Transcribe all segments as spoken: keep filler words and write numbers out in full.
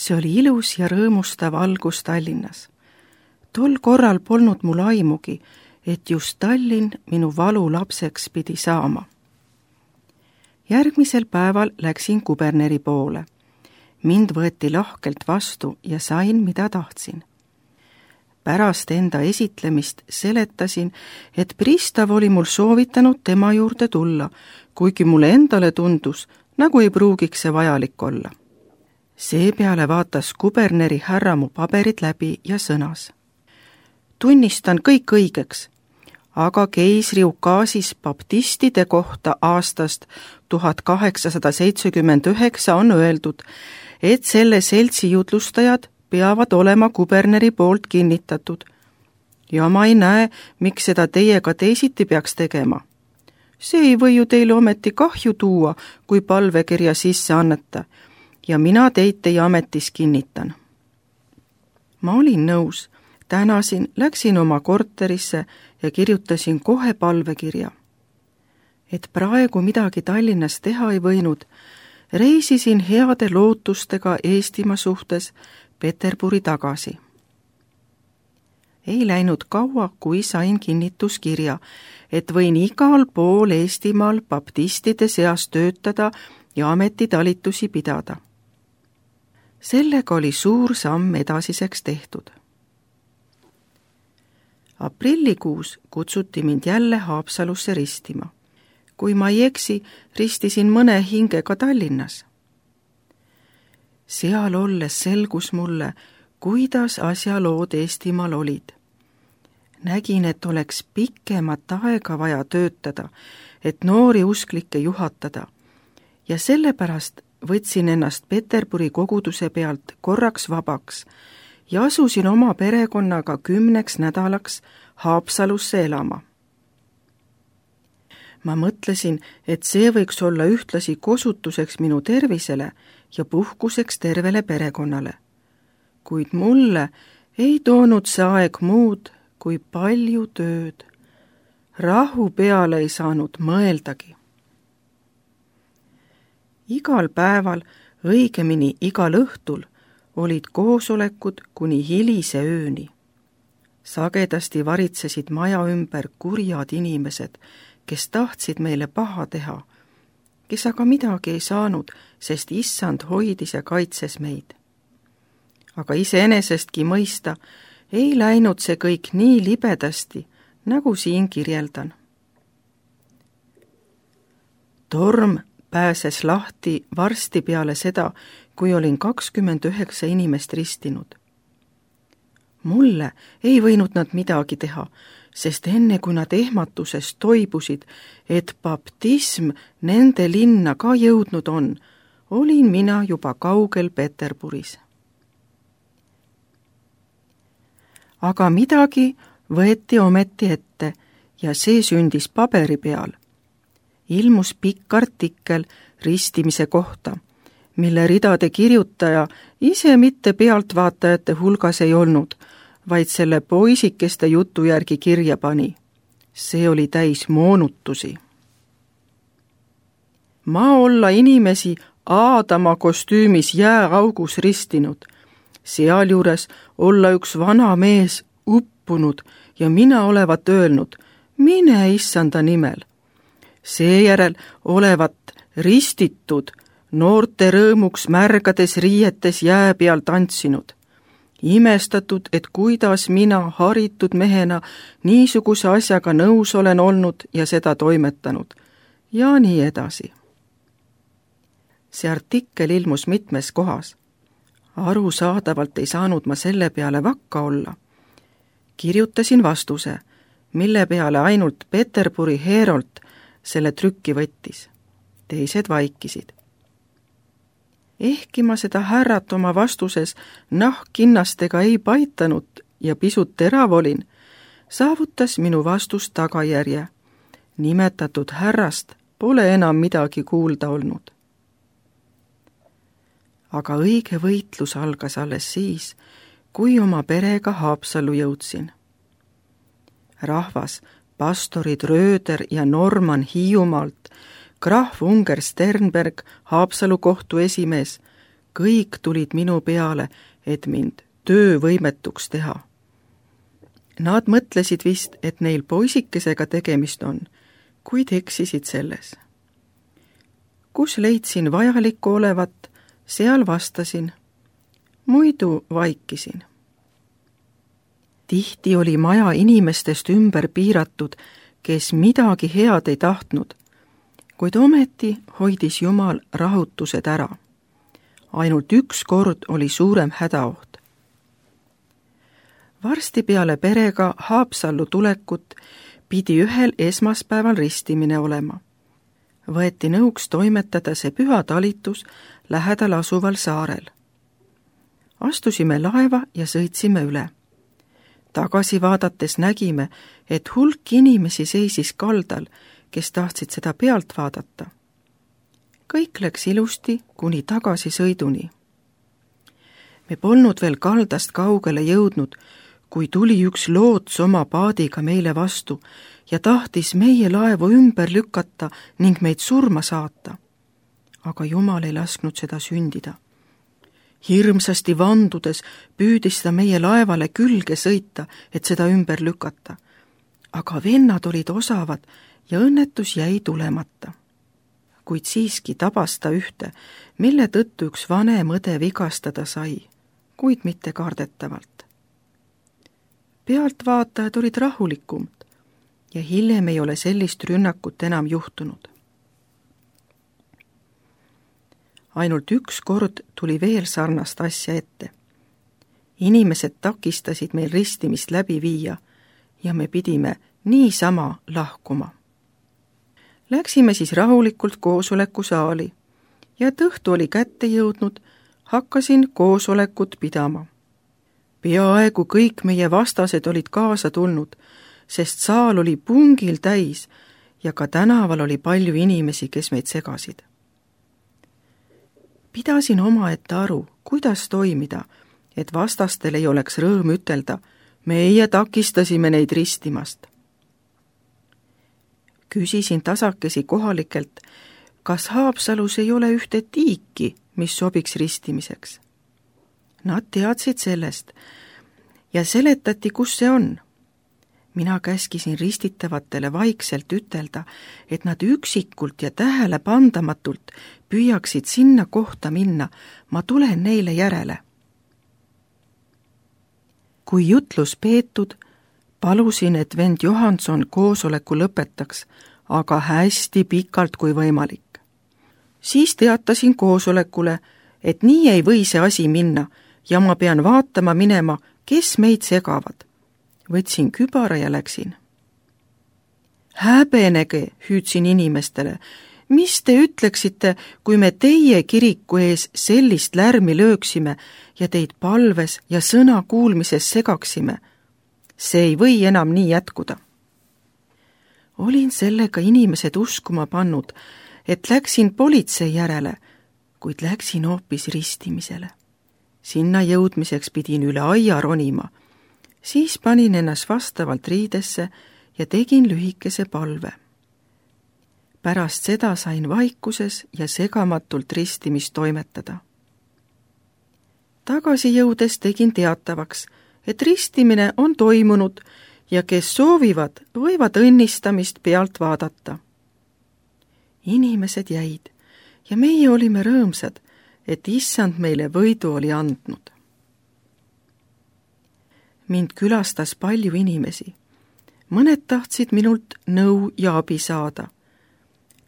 See oli ilus ja rõõmustav algus Tallinnas. Tol korral polnud mul aimugi, et just Tallinn minu valu lapseks pidi saama. Järgmisel päeval läksin kuberneri poole. Mind võeti lahkelt vastu ja sain, mida tahtsin. Pärast enda esitlemist seletasin, et pristav oli mul soovitanud tema juurde tulla, kuigi mulle endale tundus, nagu ei pruugiks see vajalik olla. Seepeale vaatas kuberneri härra mu paberid läbi ja sõnas. Tunnistan kõik õigeks, aga keisri ukaasis baptistide kohta aastast tuhat kaheksasada seitsekümmend üheksa on öeldud, et selle seltsi jutlustajad peavad olema kuberneri poolt kinnitatud. Ja ma ei näe, miks seda teiega teisiti peaks tegema. See ei või ju teile ometi kahju tuua, kui palvekirja sisse anneta, ja mina teid teie ametis kinnitan. Ma olin nõus, tänasin, läksin oma korterisse ja kirjutasin kohe palvekirja. Et praegu midagi Tallinnas teha ei võinud, reisisin heade lootustega Eestimaa suhtes Peterburi tagasi. Ei läinud kaua, kui sain kinnituskirja, et võin igal pool Eestimaal baptistide seas töötada ja ametitalitusi pidada. Sellega oli suur samm edasiseks tehtud. Aprillikuus kutsuti mind jälle Haapsalusse ristima. Kui ma ei eksi, ristisin mõne hingega Tallinnas. Seal olles selgus mulle, kuidas asjalood Eestimaal olid. Nägin, et oleks pikemat aega vaja töötada, et noori usklikke juhatada, ja sellepärast võtsin ennast Peterburi koguduse pealt korraks vabaks ja asusin oma perekonnaga kümneks nädalaks Haapsalusse elama. Ma mõtlesin, et see võiks olla ühtlasi kosutuseks minu tervisele ja puhkuseks tervele perekonnale. Kuid mulle ei toonud see aeg muud kui palju tööd. Rahu peale ei saanud mõeldagi. Igal päeval, õigemini igal õhtul, olid koosolekud kuni hilise ööni. Sagedasti varitsesid maja ümber kurjad inimesed, kes tahtsid meile paha teha, kes aga midagi ei saanud, sest issand hoidis ja kaitses meid. Aga iseenesestki mõista, ei läinud see kõik nii libedasti, nagu siin kirjeldan. Torm pääses lahti varsti peale seda, kui olin kakskümmend üheksa inimest ristinud. Mulle ei võinud nad midagi teha, sest enne kui nad ehmatusest toibusid, et baptism nende linna ka jõudnud on, olin mina juba kaugel Peterburis. Aga midagi võeti ometi ette ja see sündis paberi peal. Ilmus pikk artikkel ristimise kohta, mille ridade kirjutaja ise mitte pealtvaatajate hulgas ei olnud, vaid selle poisikeste jutu järgi kirja pani. See oli täis moonutusi. Ma olla inimesi Aadama kostüümis jääaugus ristinud, sealjuures olla üks vana mees uppunud ja mina olevat öelnud, mine issanda nimel. Seejärel olevat ristitud, noorte rõõmuks märgades riietes jää peal tantsinud. Imestatud, et kuidas mina haritud mehena niisuguse asjaga nõus olen olnud ja seda toimetanud. Ja nii edasi. See artikkel ilmus mitmes kohas. Arusaadavalt ei saanud ma selle peale vakka olla. Kirjutasin vastuse, mille peale ainult Peterburi Herold selle trükki võttis. Teised vaikisid. Ehkki ma seda härrat oma vastuses nahkkinnastega ei paitanud ja pisut terav olin, saavutas minu vastus tagajärje. Nimetatud härrast pole enam midagi kuulda olnud. Aga õige võitlus algas alles siis, kui oma perega Haapsallu jõudsin. Rahvas, pastorid Rööder ja Norman Hiiumaalt, krahv Unger Sternberg, Haapsalu kohtu esimees, kõik tulid minu peale, et mind töövõimetuks teha. Nad mõtlesid vist, et neil poisikesega tegemist on, kuid eksisid selles. Kus leidsin vajalikku olevat, seal vastasin, muidu vaikisin. Tihti oli maja inimestest ümber piiratud, kes midagi head ei tahtnud, kuid ometi hoidis Jumal rahutused ära. Ainult üks kord oli suurem hädaoht. Varsti peale perega Haapsallu tulekut pidi ühel esmaspäeval ristimine olema. Võeti nõuks toimetada see püha talitus lähedal asuval saarel. Astusime laeva ja sõitsime üle. Tagasi vaadates nägime, et hulk inimesi seisis kaldal, kes tahtsid seda pealt vaadata. Kõik läks ilusti kuni tagasi sõiduni. Me polnud veel kaldast kaugele jõudnud, kui tuli üks loots oma paadiga meile vastu ja tahtis meie laevu ümber lükata ning meid surma saata. Aga Jumal ei lasknud seda sündida. Hirmsasti vandudes püüdis ta meie laevale külge sõita, et seda ümber lükata. Aga vennad olid osavad ja õnnetus jäi tulemata. Kuid siiski tabas ta ühte, mille tõttu üks vanem õde vigastada sai, kuid mitte kardetavalt. Pealtvaatajad olid rahulikumad ja hiljem ei ole sellist rünnakut enam juhtunud. Ainult üks kord tuli veel sarnast asja ette. Inimesed takistasid meil ristimist läbi viia ja me pidime niisama lahkuma. Läksime siis rahulikult koosoleku saali ja et õhtu oli kätte jõudnud, hakkasin koosolekut pidama. Peaaegu kõik meie vastased olid kaasa tulnud, sest saal oli pungil täis ja ka tänaval oli palju inimesi, kes meid segasid. Pidasin omaette aru, kuidas toimida, et vastastel ei oleks rõõm ütelda, meie takistasime neid ristimast. Küsisin tasakesi kohalikelt, kas Haapsalus ei ole ühte tiiki, mis sobiks ristimiseks. Nad teadsid sellest ja seletati, kus see on. Mina käskisin ristitavatele vaikselt ütelda, et nad üksikult ja tähelepandamatult püüaksid sinna kohta minna, ma tulen neile järele. Kui jutlus peetud, palusin, et vend Johanson koosoleku lõpetaks, aga hästi pikalt kui võimalik. Siis teatasin koosolekule, et nii ei või see asi minna ja ma pean vaatama minema, kes meid segavad. Võtsin kübara ja läksin. Häbenege, hüüdsin inimestele, mis te ütleksite, kui me teie kiriku ees sellist lärmi lööksime ja teid palves ja sõna kuulmises segaksime? See ei või enam nii jätkuda. Olin sellega inimesed uskuma pannud, et läksin politsei järele, kuid läksin hoopis ristimisele. Sinna jõudmiseks pidin üle aia ronima. Siis panin ennast vastavalt riidesse ja tegin lühikese palve. Pärast seda sain vaikuses ja segamatult ristimist toimetada. Tagasi jõudes tegin teatavaks, et ristimine on toimunud ja kes soovivad, võivad õnnistamist pealt vaadata. Inimesed jäid ja meie olime rõõmsad, et issand meile võidu oli andnud. Mind külastas palju inimesi. Mõned tahtsid minult nõu ja abi saada.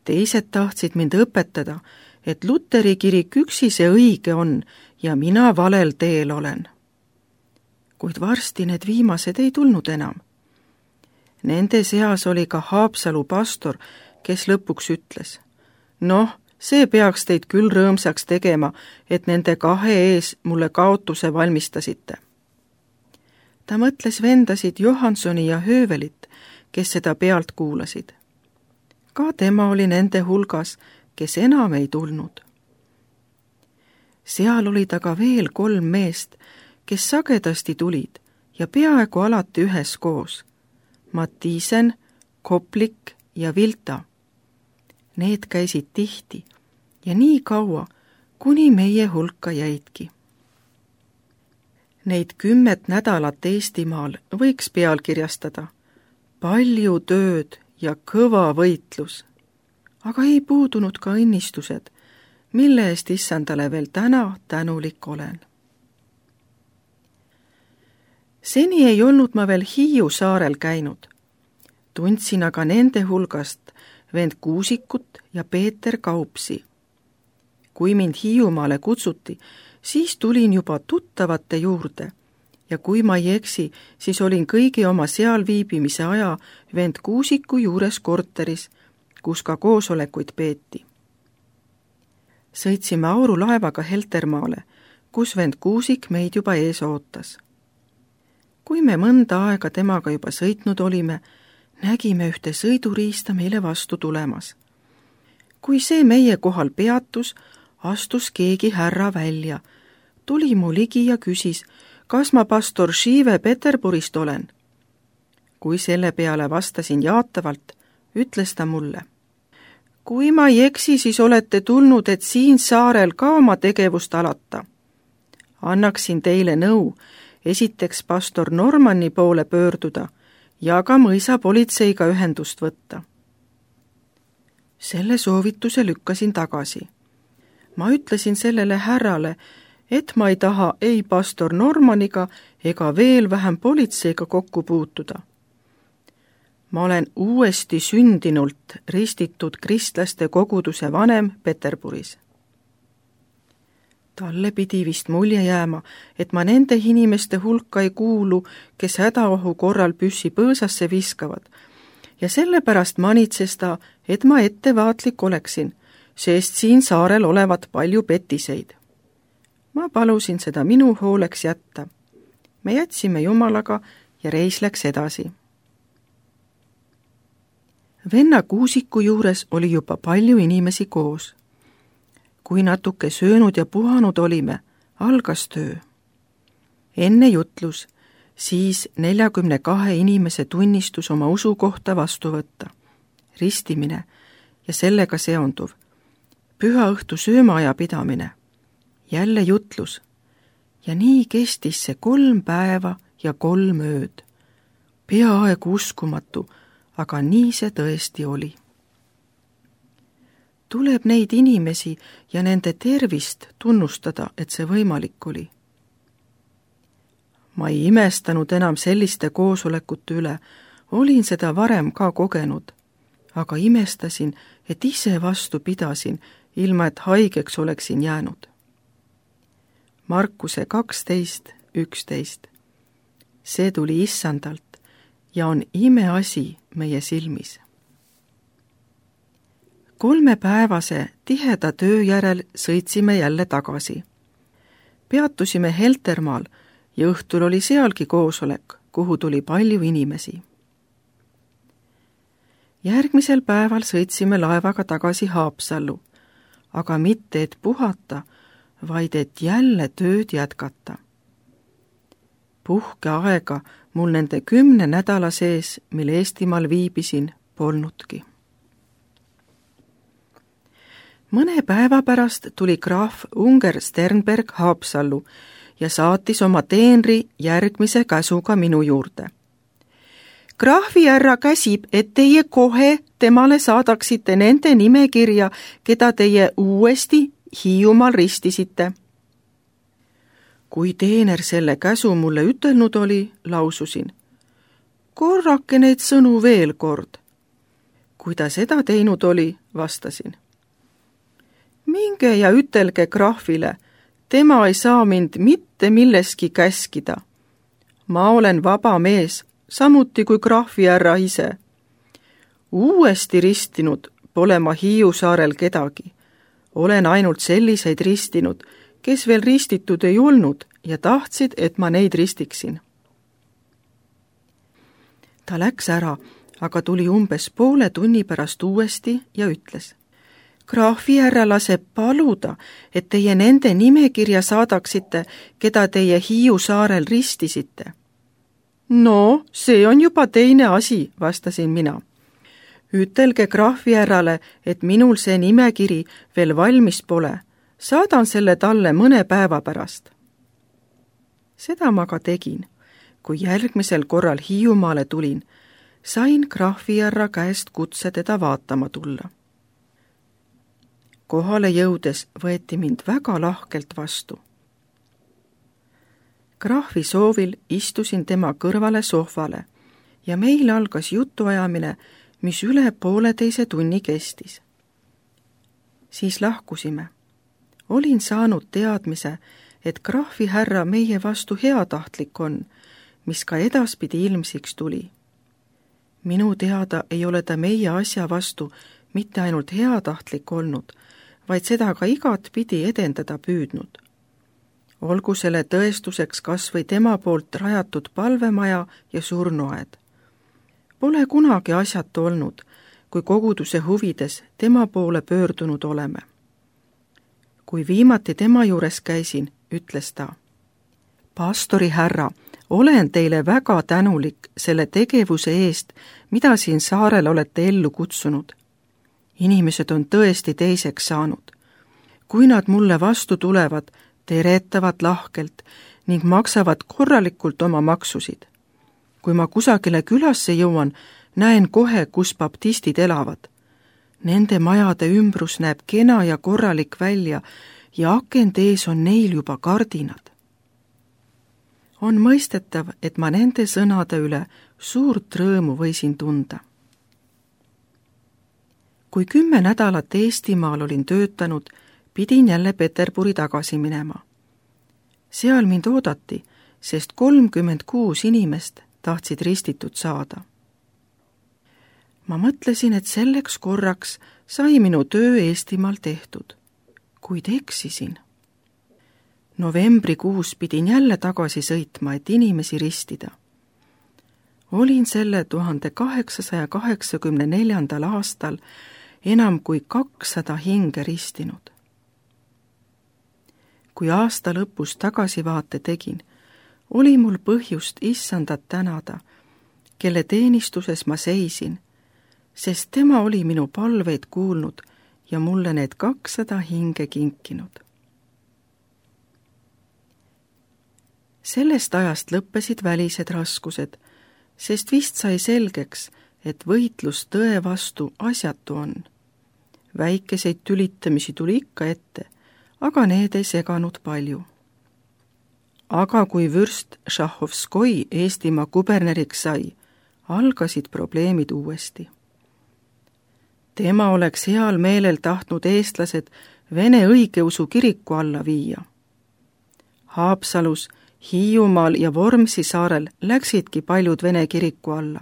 Teised tahtsid mind õpetada, et Luteri kirik üksi see õige on ja mina valel teel olen. Kuid varsti need viimased ei tulnud enam. Nende seas oli ka Haapsalu pastor, kes lõpuks ütles, noh, see peaks teid küll rõõmsaks tegema, et nende kahe ees mulle kaotuse valmistasite. Ta mõtles vendasid Johansoni ja Höövelit, kes seda pealt kuulasid. Ka tema oli nende hulgas, kes enam ei tulnud. Seal olid aga veel kolm meest, kes sagedasti tulid ja peaaegu alati üheskoos. Mattiisen, Koplik ja Vilta. Need käisid tihti ja nii kaua, kuni meie hulka jäidki. Neid kümmet nädalat Eestimaal võiks pealkirjastada. Palju tööd ja kõva võitlus, aga ei puudunud ka õnnistused, mille eest issandale veel täna tänulik olen. Seni ei olnud ma veel Hiiu saarel käinud. Tundsin aga nende hulgast vend Kuusikut ja Peeter Kaupsi. Kui mind Hiiumaale kutsuti, siis tulin juba tuttavate juurde ja kui ma ei eksi, siis olin kõigi oma seal viibimise aja vend Kuusiku juures korteris, kus ka koosolekuid peeti. Sõitsime aurulaevaga Heltermaale, kus vend Kuusik meid juba ees ootas. Kui me mõnda aega temaga juba sõitnud olime, nägime ühte sõiduriista meile vastu tulemas. Kui see meie kohal peatus, astus keegi härra välja, tuli mu ligi ja küsis, kas ma pastor Šiive Peterburist olen. Kui selle peale vastasin jaatavalt, ütles ta mulle. Kui ma ei eksi, siis olete tulnud, et siin saarel ka oma tegevust alata. Annaksin teile nõu, esiteks pastor Normanni poole pöörduda ja ka mõisa politseiga ühendust võtta. Selle soovituse lükkasin tagasi. Ma ütlesin sellele härrale, et ma ei taha ei pastor Normaniga ega veel vähem politseiga kokku puutuda. Ma olen uuesti sündinult ristitud kristlaste koguduse vanem Peterburis. Talle pidi vist mulje jääma, et ma nende inimeste hulka ei kuulu, kes hädaohu korral püssi põõsasse viskavad, ja sellepärast manitses ta, et ma ettevaatlik oleksin, sest siin saarel olevat palju petiseid. Ma palusin seda minu hooleks jätta. Me jätsime Jumalaga ja reis läks edasi. Venna Kuusiku juures oli juba palju inimesi koos. Kui natuke söönud ja puhanud olime, algas töö. Enne jutlus, siis neljakümne kahe inimese tunnistus oma usu kohta vastu võtta, ristimine ja sellega seonduv, püha õhtu söömaaja pidamine, jälle jutlus ja nii kestis see kolm päeva ja kolm ööd. Peaaegu uskumatu, aga nii see tõesti oli. Tuleb neid inimesi ja nende tervist tunnustada, et see võimalik oli. Ma ei imestanud enam selliste koosolekute üle, olin seda varem ka kogenud, aga imestasin, et ise vastu pidasin, ilma et haigeks oleksin jäänud. Markuse kaksteist üksteist. See tuli issandalt ja on imeasi meie silmis. Kolmepäevase tiheda töö järel sõitsime jälle tagasi. Peatusime Heltermaal ja õhtul oli sealgi koosolek, kuhu tuli palju inimesi. Järgmisel päeval sõitsime laevaga tagasi Haapsallu, aga mitte et puhata, vaid et jälle tööd jätkata. Puhkeaega mul nende kümne nädala sees, mil Eestimaal viibisin, polnudki. Mõne päeva pärast tuli graaf Unger Sternberg Haapsallu ja saatis oma teenri järgmise käsuga minu juurde. Graafi härra käsib, et teie kohe temale saadaksite nende nimekirja, keda teie uuesti Hiiumaal ristisite. Kui teener selle käsu mulle ütelnud oli, laususin. Korrake neid sõnu veel kord. Kui ta seda teinud oli, vastasin. Minge ja ütelge graafile, tema ei saa mind mitte milleski käskida. Ma olen vaba mees, samuti kui graafi härra ise. Uuesti ristinud pole ma Hiiu saarel kedagi. Olen ainult selliseid ristinud, kes veel ristitud ei olnud ja tahtsid, et ma neid ristiksin. Ta läks ära, aga tuli umbes poole tunni pärast uuesti ja ütles. Graafi härra laseb paluda, et teie nende nimekirja saadaksite, keda teie Hiiu saarel ristisite. No, see on juba teine asi, vastasin mina. Ütelge graafi härrale, et minul see nimekiri veel valmis pole, saadan selle talle mõne päeva pärast. Seda ma ka tegin. Kui järgmisel korral Hiiumaale tulin, sain krahvijärra käest kutse teda vaatama tulla. Kohale jõudes võeti mind väga lahkelt vastu. Krahvi soovil istusin tema kõrvale sohvale ja meil algas jutuajamine, mis üle pooleteise tunni kestis. Siis lahkusime. Olin saanud teadmise, et krahvi härra meie vastu heatahtlik on, mis ka edaspidi ilmsiks tuli. Minu teada ei ole ta meie asja vastu mitte ainult heatahtlik olnud, vaid seda ka igat pidi edendada püüdnud. Olgu selle tõestuseks kas või tema poolt rajatud palvemaja ja surnuaed. Pole kunagi asjatu olnud, kui koguduse huvides tema poole pöördunud oleme. Kui viimati tema juures käisin, ütles ta: pastori härra, olen teile väga tänulik selle tegevuse eest, mida siin saarel olete ellu kutsunud. Inimesed on tõesti teiseks saanud. Kui nad mulle vastu tulevad, teretavad lahkelt ning maksavad korralikult oma maksusid. Kui ma kusagile külasse jõuan, näen kohe, kus baptistid elavad. Nende majade ümbrus näeb kena ja korralik välja ja akende ees on neil juba kardinad. On mõistetav, et ma nende sõnade üle suurt rõõmu võisin tunda. Kui kümme nädalat Eestimaal olin töötanud, pidin jälle Peterburi tagasi minema. Seal mind oodati, sest kolmkümmend kuus inimest tahtsid ristitud saada. Ma mõtlesin, et selleks korraks sai minu töö Eestimaal tehtud, kuid eksisin. Novembrikuus pidin jälle tagasi sõitma, et inimesi ristida. Olin selle tuhande kaheksasaja kaheksakümne neljandal aastal enam kui kakssada hinge ristinud. Kui aasta lõpus tagasivaate tegin, oli mul põhjust issandat tänada, kelle teenistuses ma seisin, sest tema oli minu palveid kuulnud ja mulle need kakssada hinge kinkinud. Sellest ajast lõppesid välised raskused, sest vist sai selgeks, et võitlus tõe vastu asjatu on. Väikeseid tülitamisi tuli ikka ette, aga need ei seganud palju. Aga kui vürst Šahovskoi Eestimaa kuberneriks sai, algasid probleemid uuesti. Tema oleks heal meelel tahtnud eestlased Vene õigeusu kiriku alla viia. Haapsalus, Hiiumaal ja Vormsi saarel läksidki paljud Vene kiriku alla.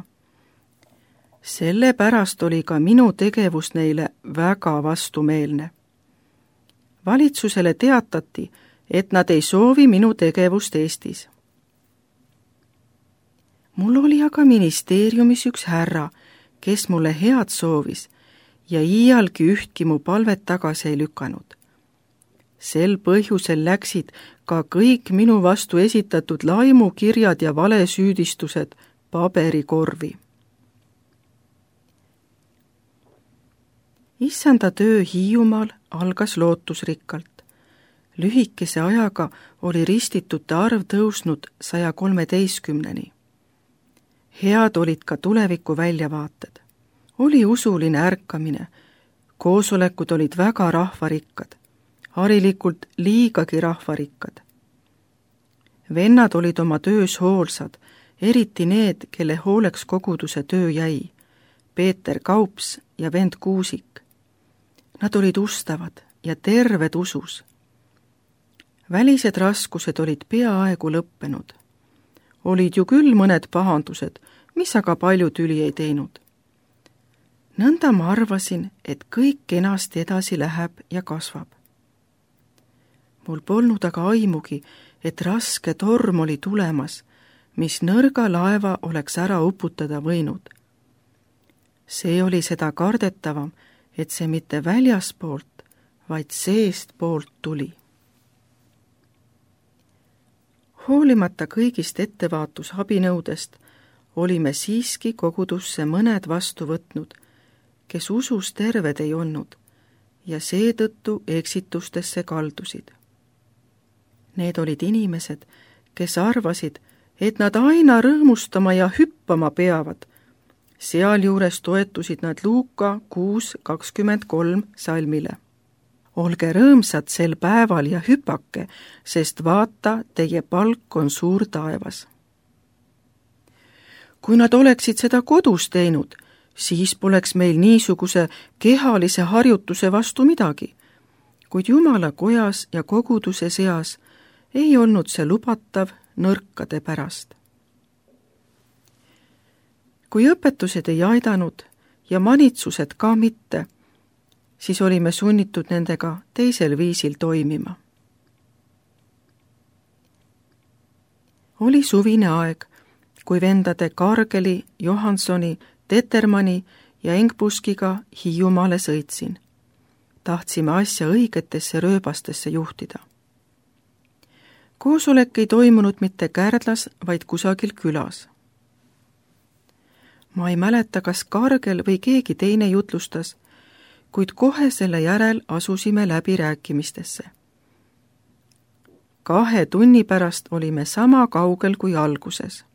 Sellepärast oli ka minu tegevus neile väga vastumeelne. Valitsusele teatati, et nad ei soovi minu tegevust Eestis. Mul oli aga ministeeriumis üks härra, kes mulle head soovis ja iialgi ühtki mu palvet tagasi ei lükanud. Sel põhjusel läksid ka kõik minu vastu esitatud laimukirjad ja valesüüdistused paberikorvi. Issanda töö Hiiumaal algas lootusrikkalt. Lühikese ajaga oli ristitute arv tõusnud saja kolmeteistkümneni. Head olid ka tuleviku väljavaated. Oli usuline ärkamine, koosolekud olid väga rahvarikkad, harilikult liigagi rahvarikkad. Vennad olid oma töös hoolsad, eriti need, kelle hooleks koguduse töö jäi, Peeter Kaups ja vend Kuusik. Nad olid ustavad ja terved usus. Välised raskused olid peaaegu lõppenud. Olid ju küll mõned pahandused, mis aga palju tüli ei teinud. Nõnda ma arvasin, et kõik kenasti edasi läheb ja kasvab. Mul polnud aga aimugi, et raske torm oli tulemas, mis nõrga laeva oleks ära uputada võinud. See oli seda kardetavam, et see mitte väljaspoolt, vaid seest poolt tuli. Hoolimata kõigist ettevaatusabinõudest olime siiski kogudusse mõned vastu võtnud, kes usus terved ei olnud ja seetõttu eksitustesse kaldusid. Need olid inimesed, kes arvasid, et nad aina rõõmustama ja hüppama peavad. Sealjuures toetusid nad Luuka kuus kakskümmend kolm salmile. Olge rõõmsad sel päeval ja hüpake, sest vaata, teie palk on suur taevas. Kui nad oleksid seda kodus teinud, siis poleks meil niisuguse kehalise harjutuse vastu midagi, kuid Jumala kojas ja koguduse seas ei olnud see lubatav nõrkade pärast. Kui õpetused ei aidanud ja manitsused ka mitte, siis olime sunnitud nendega teisel viisil toimima. Oli suvine aeg, kui vendade Kargeli, Johansoni, Tetermani ja Engbuskiga Hiiumaale sõitsin. Tahtsime asja õigetesse rööbastesse juhtida. Koosolek ei toimunud mitte Kärdlas, vaid kusagil külas. Ma ei mäleta, kas Kargel või keegi teine jutlustas, kuid kohe selle järel asusime läbirääkimistesse. Kahe tunni pärast olime sama kaugel kui alguses.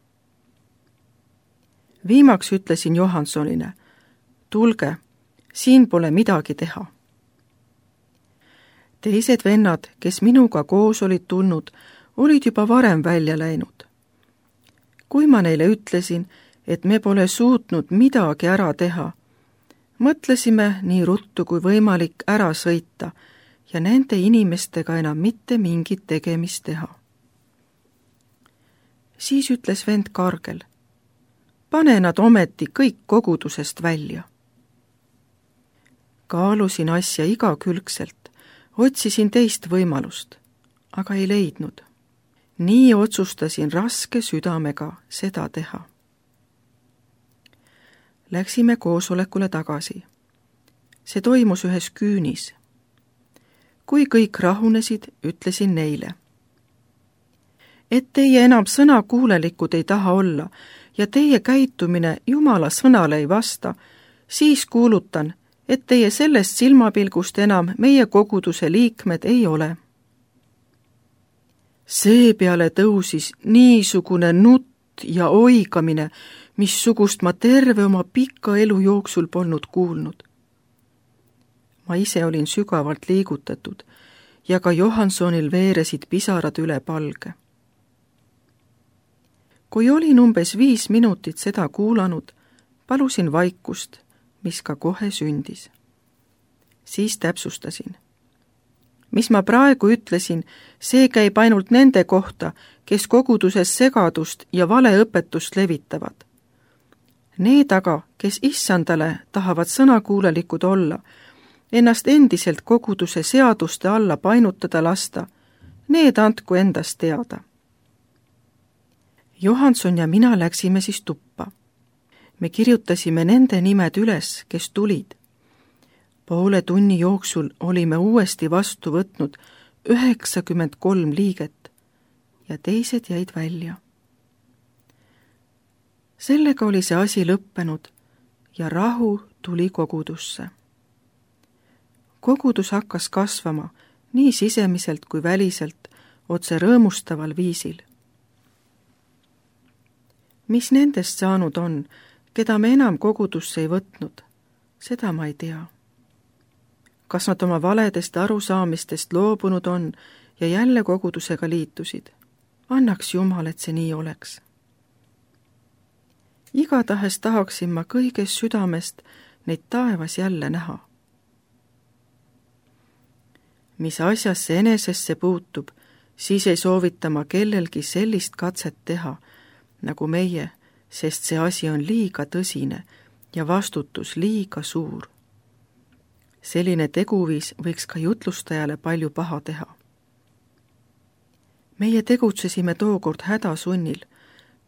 Viimaks ütlesin Johansonile, tulge, siin pole midagi teha. Teised vennad, kes minuga koos olid tulnud, olid juba varem välja läinud. Kui ma neile ütlesin, et me pole suutnud midagi ära teha, mõtlesime nii ruttu kui võimalik ära sõita ja nende inimestega enam mitte mingit tegemist teha. Siis ütles vend Kargel, pane nad ometi kõik kogudusest välja. Kaalusin asja igakülgselt, otsisin teist võimalust, aga ei leidnud. Nii otsustasin raske südamega seda teha. Läksime koosolekule tagasi. See toimus ühes küünis. Kui kõik rahunesid, ütlesin neile, et teie enam sõnakuulelikud ei taha olla ja teie käitumine Jumala sõnale ei vasta, siis kuulutan, et teie sellest silmapilgust enam meie koguduse liikmed ei ole. Seepeale tõusis niisugune nutt ja oigamine, missugust ma terve oma pika elu jooksul polnud kuulnud. Ma ise olin sügavalt liigutatud ja ka Johansonil veeresid pisarad üle palge. Kui olin umbes viis minutit seda kuulanud, palusin vaikust, mis ka kohe sündis. Siis täpsustasin. Mis ma praegu ütlesin, see käib ainult nende kohta, kes koguduses segadust ja valeõpetust levitavad. Need aga, kes issandale tahavad sõnakuulelikud olla, ennast endiselt koguduse seaduste alla painutada lasta, need andku endast teada. Johanson ja mina läksime siis tuppa. Me kirjutasime nende nimed üles, kes tulid. Poole tunni jooksul olime uuesti vastu võtnud üheksakümmend kolm liiget ja teised jäid välja. Sellega oli see asi lõppenud ja rahu tuli kogudusse. Kogudus hakkas kasvama nii sisemiselt kui väliselt otse rõõmustaval viisil. Mis nendest saanud on, keda me enam kogudusse ei võtnud, seda ma ei tea. Kas nad oma valedest arusaamistest loobunud on ja jälle kogudusega liitusid? Annaks Jumal, et see nii oleks. Igatahes tahaksin ma kõigest südamest neid taevas jälle näha. Mis asjasse enesesse puutub, siis ei soovita ma kellelgi sellist katset teha, nagu meie, sest see asi on liiga tõsine ja vastutus liiga suur. Selline teguviis võiks ka jutlustajale palju paha teha. Meie tegutsesime tookord hädasunnil,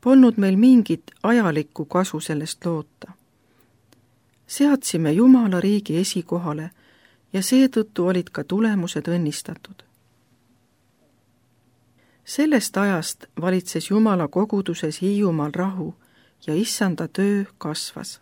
polnud meil mingit ajalikku kasu sellest loota. Seadsime Jumala riigi esikohale ja seetõttu olid ka tulemused õnnistatud. Sellest ajast valitses Jumala koguduses Hiiumaal rahu ja issanda töö kasvas.